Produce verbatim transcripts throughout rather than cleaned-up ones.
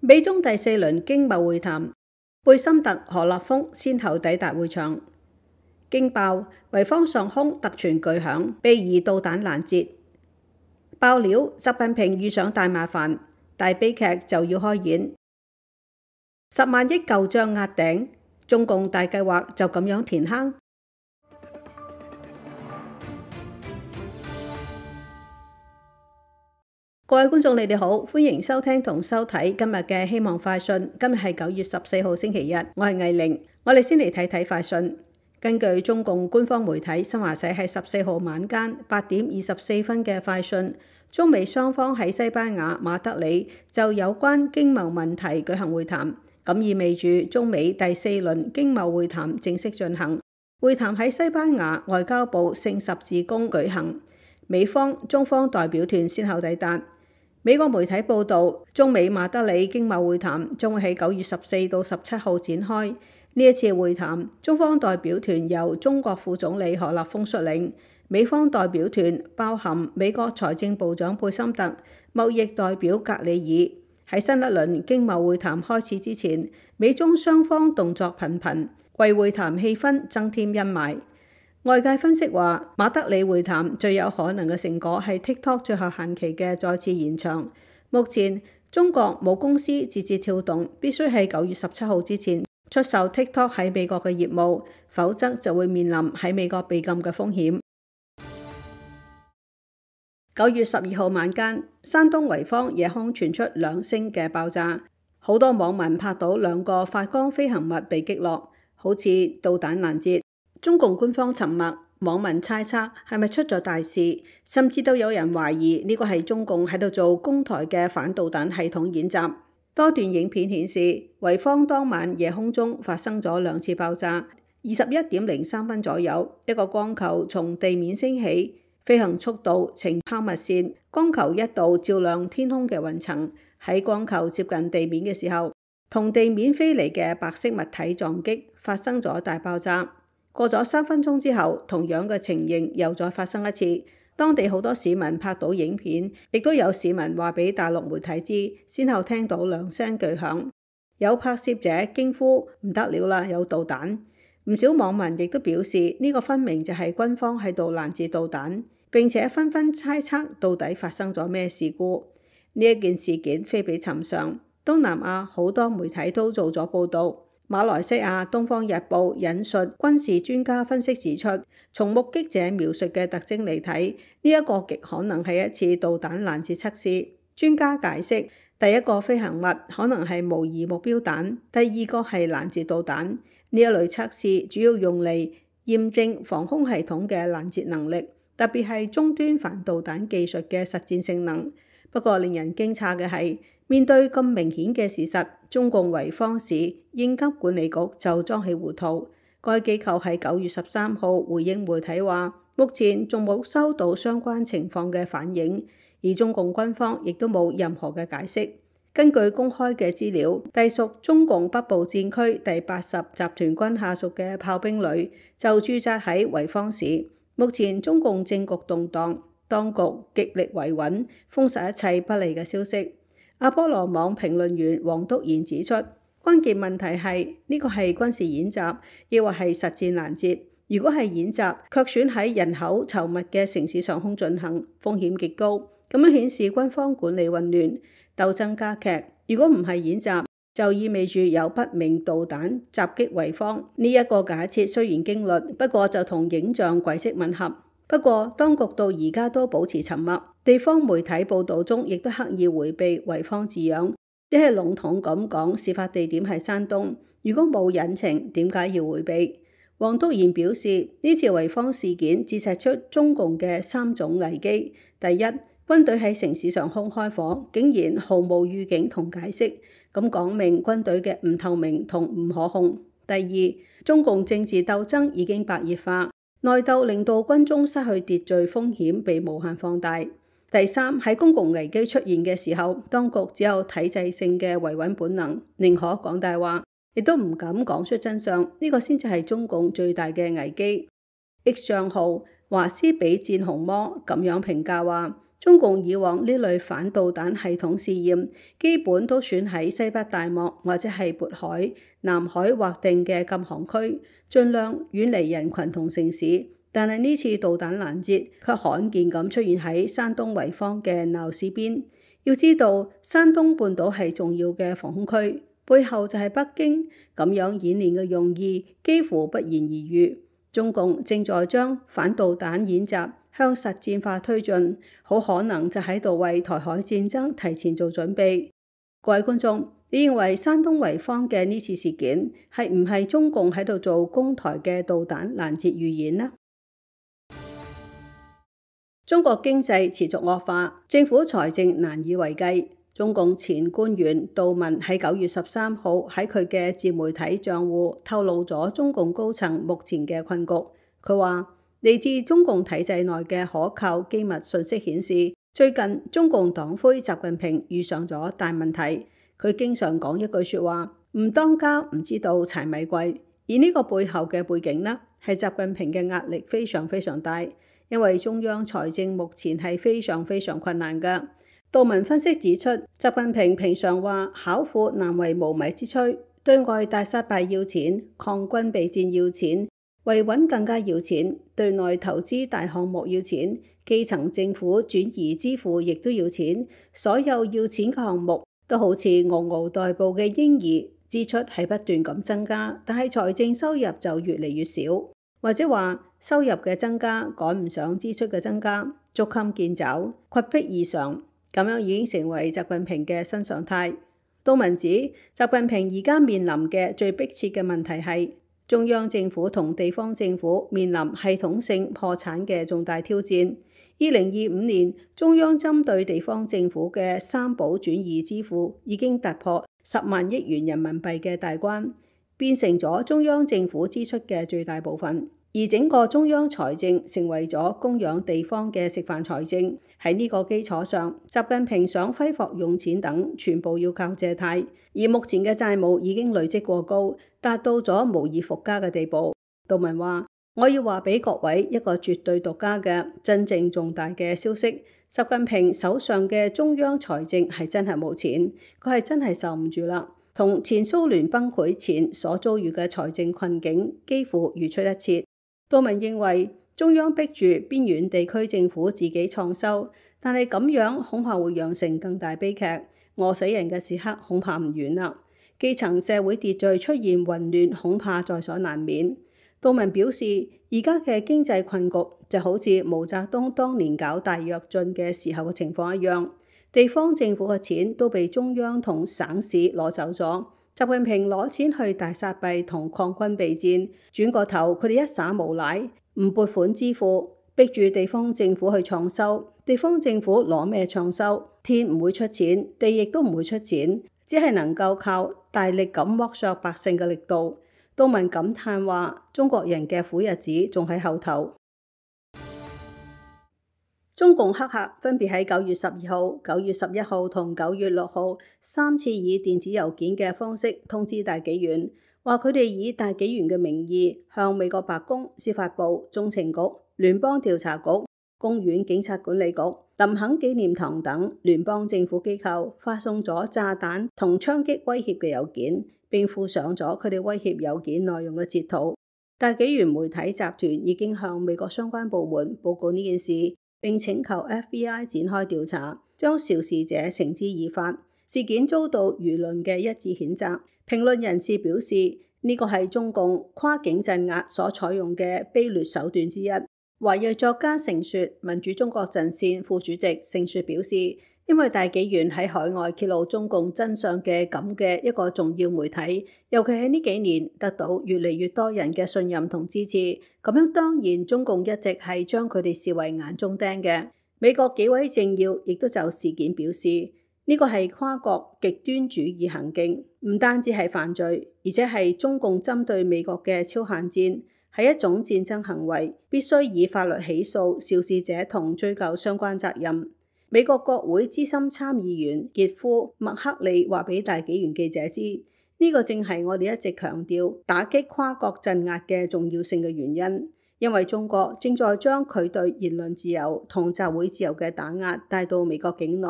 美中第四輪經貿會談，貝森特、何立峰先後抵達會場。驚爆維方上空突傳巨響，被疑導彈攔截。爆料習近平遇上大麻煩，大悲劇就要開演。十萬億舊賬壓頂，中共大計劃就咁樣填坑。各位觀眾，你哋好，歡迎收聽同收睇今日嘅希望快訊。今日係九月十四號星期日，我係藝玲。我哋先嚟睇睇快訊。根據中共官方媒體新華社喺十四號晚間八點二十四分嘅快訊，中美雙方喺西班牙馬德里就有關經貿問題舉行會談，咁意味住中美第四輪經貿會談正式進行。會談喺西班牙外交部聖十字宮舉行，美方、中方代表團先後抵達。美國媒體報導，中美馬德里經貿會談將會喺九月十四到十七號展開。呢一次會談，中方代表團由中國副總理何立峰率領，美方代表團包含美國財政部長貝森特、貿易代表格里爾。喺新一輪經貿會談開始之前，美中雙方動作頻頻，為會談氣氛增添陰霾。外界分析話，馬德里會談最有可能嘅成果係 TikTok 最後限期嘅再次延長。目前中國母公司字節跳動必須喺九月十七號之前出售 TikTok 喺美國嘅業務，否則就會面臨喺美國被禁嘅風險。九月十二號晚間，山東濰坊夜空傳出兩聲嘅爆炸，好多網民拍到兩個發光飛行物被擊落，好似導彈攔截。中共官方沉默，網民猜測係咪出咗大事，甚至都有人懷疑呢個係中共喺度做攻台嘅反導彈系統演習。多段影片顯示，濰坊當晚夜空中發生咗兩次爆炸。二十一點零三分左右，一個光球從地面升起，飛行速度呈拋物線，光球一度照亮天空嘅雲層。喺光球接近地面嘅時候，同地面飛嚟嘅白色物體撞擊，發生咗大爆炸。過咗三分鐘之後，同樣嘅情形又再發生一次。當地好多市民拍到影片，亦都有市民話俾大陸媒體知，先後聽到兩聲巨響。有拍攝者驚呼唔得了啦，有導彈！唔少網民亦都表示呢個分明就係軍方喺度攔截導彈，並且紛紛猜測到底發生咗咩事故。呢一件事件非比尋常，東南亞好多媒體都做咗報導。馬來西亞《東方日報》引述軍事專家分析指出，從目擊者描述嘅特徵嚟睇，呢一個極可能係一次導彈攔截測試。專家解釋，第一個飛行物可能係模擬目標彈，第二個係攔截導彈。呢一類測試主要用嚟驗證防空系統嘅攔截能力，特別係終端反導彈技術嘅實戰性能。不過令人驚訝嘅係，面對咁明顯嘅事實，中共濰坊市應急管理局就裝起糊塗。該機構喺九月十三號回應媒體話，目前仲冇收到相關情況嘅反映，而中共軍方亦都冇任何嘅解釋。根據公開嘅資料，隸屬中共北部戰區第八十集團軍下屬嘅炮兵旅就駐紮喺濰坊市。目前中共政局動盪，當局極力維穩，封殺一切不利嘅消息。阿波羅網評論員黃篤賢指出，關鍵問題係呢個係軍事演習，抑或係實戰攔截。如果係演習，卻選喺人口稠密嘅城市上空進行，風險極高，咁樣顯示軍方管理混亂，鬥爭加劇。如果唔係演習，就意味住有不明導彈襲擊濰坊。呢一個假設雖然驚慄，不過就同影像軌跡吻合。不過，當局到而家都保持沉默，地方媒體報導中亦都刻意迴避濰坊字樣，只係籠統咁講事發地點係山東。如果冇隱情，點解要迴避？黃篤賢表示，呢次濰坊事件折射出中共嘅三種危機：第一，軍隊喺城市上空開火，竟然毫無預警同解釋，咁講明軍隊嘅唔透明同唔可控；第二，中共政治鬥爭已經白熱化。內鬥令到軍中失去秩序風險被無限放大。第三，喺公共危機出現嘅時候，當局只有體制性嘅維穩本能，寧可講大話，亦都唔敢講出真相。呢、這個先至係中共最大嘅危機。X 賬號華斯比戰紅魔咁樣評價話，中共以往呢類反導彈系統試驗，基本都選喺西北大漠或者係渤海、南海劃定嘅禁航區，盡量遠離人群同城市。但係呢次導彈攔截卻罕見咁出現喺山東濰坊嘅鬧市邊。要知道，山東半島係重要嘅防空區，背後就係北京，咁樣演練嘅用意幾乎不言而喻。中共正在將反導彈演習向實戰化推進，好可能就喺度為台海戰爭提前做準備。各位觀眾，你認為山東濰坊嘅呢次事件係唔係中共喺度做攻台嘅導彈攔截預演呢？中國經濟持續惡化，政府財政難以為繼。中共前官員杜文喺九月十三號喺佢嘅自媒體賬戶透露咗中共高層目前嘅困局。佢話，嚟自中共體制內嘅可靠機密信息顯示，最近中共黨魁習近平遇上咗大問題。佢經常講一句說話，唔當家唔知道柴米貴。而呢個背後嘅背景呢，係習近平嘅壓力非常非常大，因為中央財政目前係非常非常困難㗎。杜文分析指出，習近平平常話巧婦難為無米之炊，對外大撒幣要錢，抗軍備戰要錢，維穩更加要錢，對內投資大項目要錢，基層政府轉移支付亦都要錢，所有要錢嘅項目都好似嗷嗷待哺嘅嬰兒，支出係不斷咁增加，但係財政收入就越嚟越少，或者話收入嘅增加趕唔上支出嘅增加，捉襟見肘，窘迫異常。咁樣已經成為習近平嘅新常態。杜文指，習近平而家面臨嘅最迫切嘅問題係中央政府同地方政府面臨系統性破產嘅重大挑戰。二零二五年，中央針對地方政府嘅三保轉移支付已經突破十萬億元人民幣嘅大關，變成咗中央政府支出嘅最大部分。而整個中央財政成為咗供養地方嘅食飯財政。喺呢個基礎上，習近平想揮霍用錢等，全部要靠借貸。而目前嘅債務已經累積過高，達到咗無以復加嘅地步。杜文話：我要話俾各位一個絕對獨家嘅真正重大嘅消息，習近平手上嘅中央財政係真係冇錢，佢係真係受唔住啦。同前蘇聯崩潰前所遭遇嘅財政困境幾乎如出一轍。杜文認為，中央逼住邊緣地區政府自己創收，但係咁樣恐怕會釀成更大悲劇，餓死人嘅時刻恐怕唔遠啦。基層社會秩序出現混亂，恐怕在所難免。杜文表示，而家嘅經濟困局就好似毛澤東當年搞大躍進嘅時候嘅情況一樣，地方政府嘅錢都被中央同省市攞走咗。習近平攞錢去大撒幣同抗軍備戰，轉個頭佢哋一耍無賴，唔撥款支付，逼住地方政府去創收。地方政府攞咩創收？天唔會出錢，地亦都唔會出錢，只係能夠靠大力咁剝削百姓嘅力度。杜文感嘆話：中國人嘅苦日子仲喺後頭。中共黑客分別喺九月十二號、九月十一號同九月六號三次以電子郵件嘅方式通知大紀元，話佢哋以大紀元嘅名義向美國白宮、司法部、中情局、聯邦調查局、公園警察管理局、林肯紀念堂等聯邦政府機構發送咗炸彈同槍擊威脅嘅郵件，並附上咗佢哋威脅郵件內容嘅截圖。大紀元媒體集團已經向美國相關部門報告呢件事，並請求 F B I 展開調查，將肇事者繩之以法。事件遭到輿論嘅一致譴責。評論人士表示，呢個係中共跨境鎮壓所採用嘅卑劣手段之一。華裔作家盛雪、民主中國陣線副主席盛雪表示，因為大紀元喺海外揭露中共真相嘅咁嘅一個重要媒體，尤其喺呢幾年得到越嚟越多人嘅信任同支持，咁樣當然中共一直係將佢哋視為眼中釘嘅。美國幾位政要亦都就事件表示，呢個係跨國極端主義行徑，唔單止係犯罪，而且係中共針對美國嘅超限戰，係一種戰爭行為，必須以法律起訴肇事者同追究相關責任。美國國會資深參議員傑夫麥克利話俾大紀元記者知，呢個正係我哋一直強調打擊跨國鎮壓嘅重要性嘅原因。因為中國正在將佢對言論自由同集會自由嘅打壓帶到美國境內，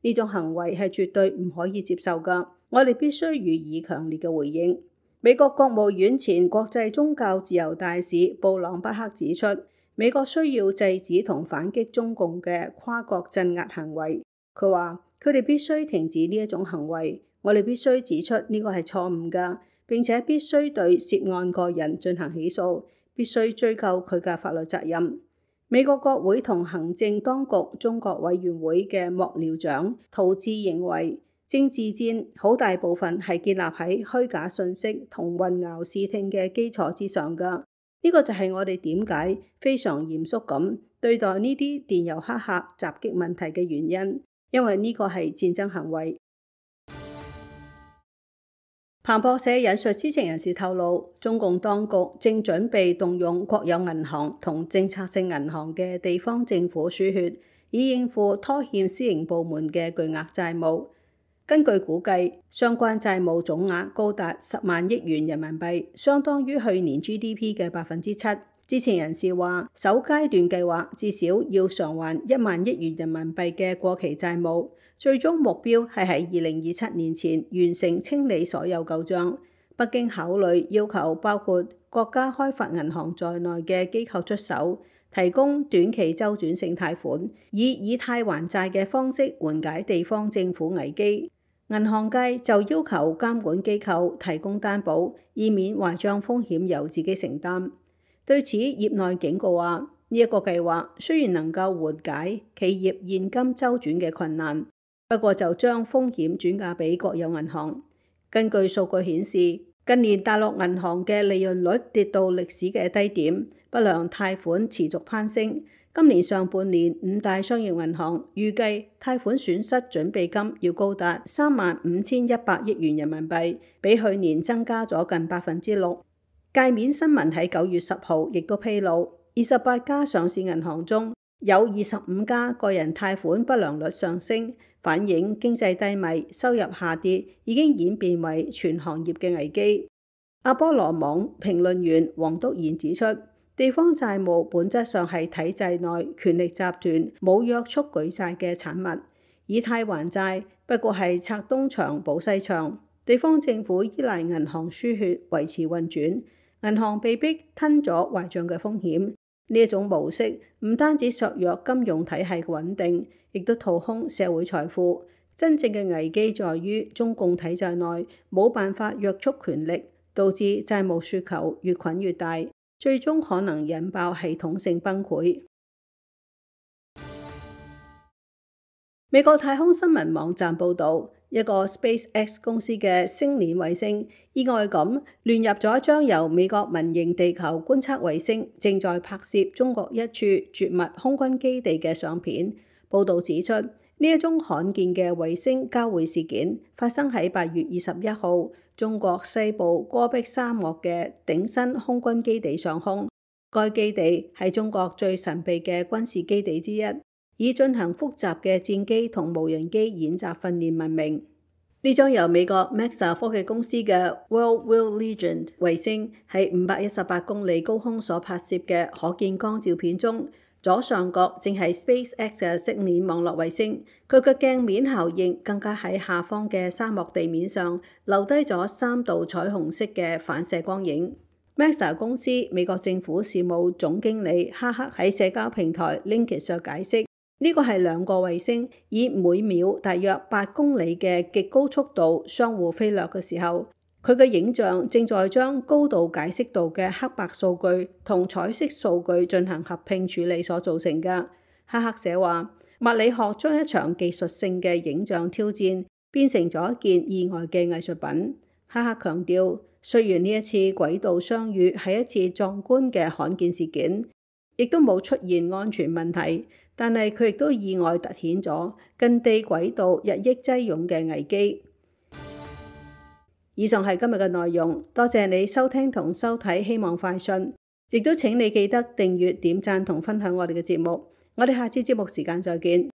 呢種行為係絕對唔可以接受㗎，我哋必須予以強烈嘅回應。美國國務院前國際宗教自由大使布朗巴克指出，美國需要制止同反擊中共嘅跨國鎮壓行為。佢話佢哋必須停止呢一種行為，我哋必須指出呢個係錯誤㗎，並且必須對涉案個人進行起訴，必須追究佢嘅法律責任。美國國會同行政當局中國委員會嘅幕僚長陶志認為，政治戰好大部分係建立喺虛假信息同混淆視聽嘅基礎之上㗎。呢個就係我哋點解非常嚴肅咁對待呢啲電郵黑客襲擊問題嘅原因，因為呢個係戰爭行為。彭博社引述知情人士透露，中共當局正準備動用國有銀行同政策性銀行嘅地方政府輸血，以應付拖欠私營部門嘅巨額債務。根據估計，相關債務總額高達十萬億元人民幣，相當於去年 G D P 嘅百分之七。知情人士話，首階段計劃至少要償還一萬億元人民幣嘅過期債務，最終目標係喺二零二七年前完成清理所有舊賬。北京考慮要求包括國家開發銀行在內嘅機構出手，提供短期周轉性貸款，以以貸還債嘅方式緩解地方政府危機。銀行界就要求監管機構提供擔保，以免壞賬風險由自己承擔。對此，業內警告話，呢一個計劃雖然能夠緩解企業現金周轉嘅困難，不過就將風險轉嫁俾國有銀行。根據數據顯示，近年大陸銀行嘅利潤率跌到歷史嘅低點，不良貸款持續攀升。今年上半年，五大商業銀行預計貸款損失準備金要高達三萬五千一百億元人民幣，比去年增加咗近百分之六。界面新聞喺九月十號亦都披露，二十八家上市銀行中有二十五家個人貸款不良率上升，反映經濟低迷、收入下跌，已經演變為全行業嘅危機。阿波羅網評論員黃篤賢指出，地方債務本質上係體制內權力集團冇約束舉債嘅產物，以貸還債不過係拆東牆補西牆。地方政府依賴銀行輸血維持運轉，銀行被逼吞咗壞賬嘅風險。呢一種模式唔單止削弱金融體系嘅穩定，亦都掏空社會財富。真正嘅危機在於中共體制內冇辦法約束權力，導致債務雪球越滾越大，最終可能引爆系統性崩潰。美國太空新聞網站報導，一個 SpaceX 公司嘅星鏈衛星意外咁亂入咗一張由美國民營地球觀測衛星正在拍攝中國一處絕密空軍基地嘅相片。報導指出，呢一宗罕見嘅衛星交會事件發生喺八月二十一號，中國西部戈壁沙漠嘅頂新空軍基地上空。該基地係中國最神秘嘅軍事基地之一，以進行複雜嘅戰機同無人機演習訓練聞名。呢張由美國 Maxar 科技公司嘅 World Legend 衛星喺五百一十八公里高空所拍攝嘅可見光照片中，左上角正係 SpaceX 嘅星鏈網絡衛星，佢嘅鏡面效應更加喺下方嘅沙漠地面上留低咗三道彩虹色嘅反射光影。Maxar 公司美國政府事務總經理哈克喺社交平台 LinkedIn 上解釋，呢個係兩個衛星以每秒大約八公里嘅極高速度相互飛掠嘅時候，佢嘅影像正在將高度解析度嘅黑白數據同彩色數據進行合併處理所造成嘅。哈克寫話，物理學將一場技術性嘅影像挑戰變成咗一件意外嘅藝術品。哈克強調，雖然呢一次軌道相遇係一次壯觀嘅罕見事件，亦都冇出現安全問題，但係佢亦都意外凸顯咗近地軌道日益擠擁嘅危機。以上係今日嘅內容，多謝你收聽同收睇希望快訊，亦都請你記得訂閱、點讚同分享我哋嘅節目。我哋下次節目時間再見。